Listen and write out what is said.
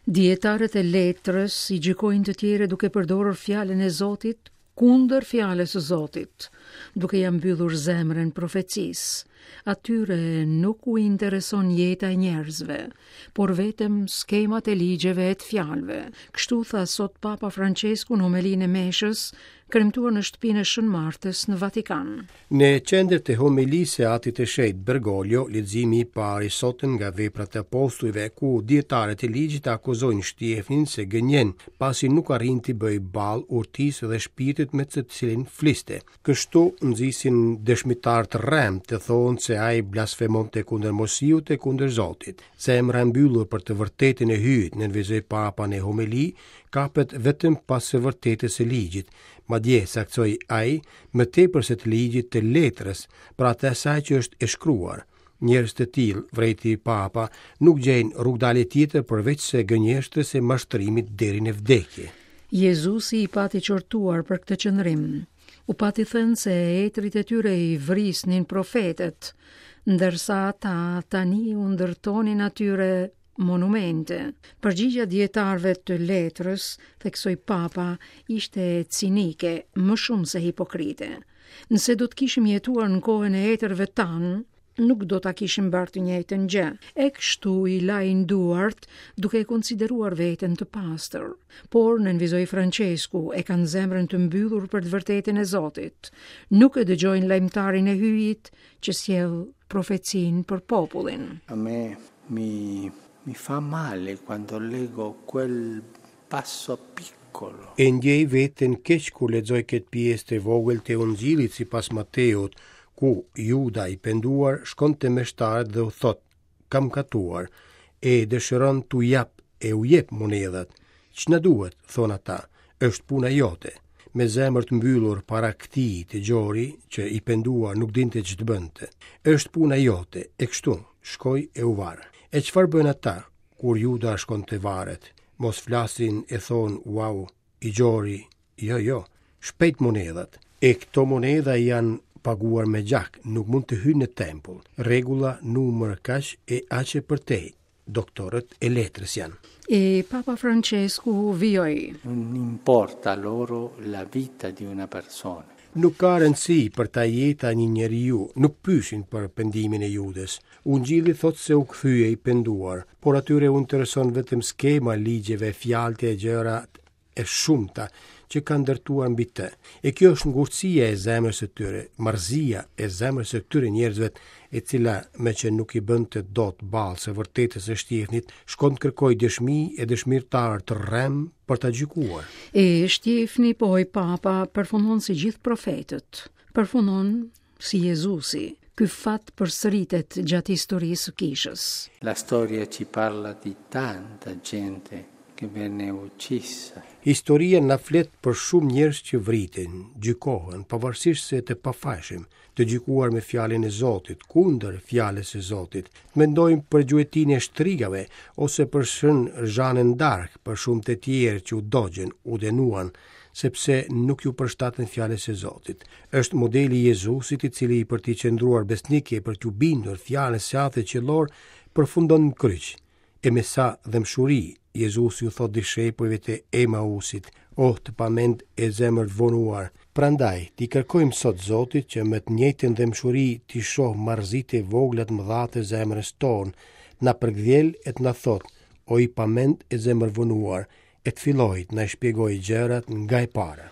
Dijetarët e letrës i gjykojnë të tjerët duke përdorur fjalën e Zotit kundër fjalës së Zotit, duke ia mbyllur zemrën profecisë. Atyre nuk u intereson jeta e njerëzve, por vetëm skemat e ligjeve e të fjalëve. Kështu tha sot Papa Françesku në homelinë e meshës, kremtuar në shtëpinë e Shën Martës në Vatikan. Në qendër të homelisë së Atit të Shenjtë Bergoglio, leximi i parë i sotëm nga Veprat e Apostujve, ku dijetarët e ligjit akuzojnë Shtjefnin se gënjen, pasi nuk arrin t'i bëjë ballë urtisë dhe shpirtit me të cilin fliste. Kështu nxisin dëshmitarë të rremë të thonë se ai blasfemonte kundër Moisiut e kundër Zotit. Zemra e mbyllur për të vërtetën e Hyjit, nënvizoi Papa në homeli, kapet vetëm pas së vërtetës së ligjit, madje, saktësoi ai, më tepër se të ligjit të letrës, pra të asaj që është e shkruar. Njerëz të tillë, vërejti Papa, nuk gjejnë rrugëdalje tjetër përveçse gënjeshtrës e mashtrimit deri në vdekje. Jezusi i pati qortuar për këtë qëndrim. U pati thënë se etërit e tyre i vrisnin profetët, ndërsa ata tani u ndërtonin atyre monumente. Përgjigja e dijetarëve të letrës, theksoi Papa, ishte cinike, më shumë se hipokrite. Nëse do të kishim jetuar në kohën e etërve tanë, nuk do ta kishim bërë të njëjtën gjë. E kështu i lajnë duart, duke e konsideruar veten të pastër. Por, nënvizoi Françesku, e kanë zemrën të mbyllur për të vërtetën e Zotit. Nuk e dëgjojnë lajmëtarin e Hyjit që sjell profecinë për popullin. A me mi mi fa male quando leggo quel passo piccolo. E ndjej veten keq kur lexoj këtë pjesë të vogël të Ungjillit sipas Mateut, ku Juda i penduar shkon te meshtarët dhe u thotë, Kam mëkatuar, e dëshiron t'u jap e u jep monedhat. Ç'na duhet, thonë ata, është puna jote. Me zemër të mbyllur para këtij të gjori që i penduar nuk dinte ç'të bënte. Është puna jote, e kështu, shkoi e u var. E çfarë bëjnë ata, kur Juda shkon të varet? Mos flasin e thonë, uau, i gjori, jo, jo, shpejt monedhat. E këto monedha janë paguar me gjak, nuk mund të hyjnë në tempull. Rregulla numër kaq e aq e përtej, doktorët e letrës janë. E Papa Francesku vijoi. Non importa loro la vita di una persona. Nuk ka rëndësi për ta jeta e një njeriu, nuk pyesin për pendimin e Judës. Ungjilli thotë se u kthye i penduar, por atyre u intereson vetëm skema e ligjeve, fjalët e gjërat e shumta që kanë ndërtuar mbi të. E kjo është ngurtësia e zemrës së tyre, marrëzia e zemrës së këtyre njerëzve, e cila meqë nuk i bënte dot ballë së vërtetës së Shtjefnit, shkon të kërkojë dëshmi e dëshmitarë të rremë për ta gjykuar. E Shtjefni, pohoi Papa, përfundon si gjithë profetët. Përfundon si Jezusi. Ky fat përsëritet gjatë historisë së kishës. La storia ci parla di tanta gente che venne uccisa. Historia na flet për shumë njerëz që vriten, gjykohen, pavarësisht se të pafajshëm, të gjykuar me fjalën e Zotit, kundër fjalës së Zotit. Të mendojmë për gjuetinë e shtrigave ose për Shën Zhanën d'Ark, për shumë të tjerë që u dogjën, u dënuan, sepse nuk iu përshtatën fjalës së Zotit. Është modeli i Jezusit i cili për t'i qëndruar besnik e për t'iu bindur fjalës së Atit Qiellor përfundon në kryq. E me sa dhembshuri Jezusi u thotë dishepujve të Emausit, Oh, të pamend e zemërvonuar! Prandaj, t'i kërkojmë sot Zotit që me të njëjtën dhembshuri t'i shohë marrëzitë e vogla të mëdha të zemrës tonë, të na përkëdhelë e të na thotë, O i pamend e zemërvonuar, e të fillojë të na shpjegojë gjërat nga e para.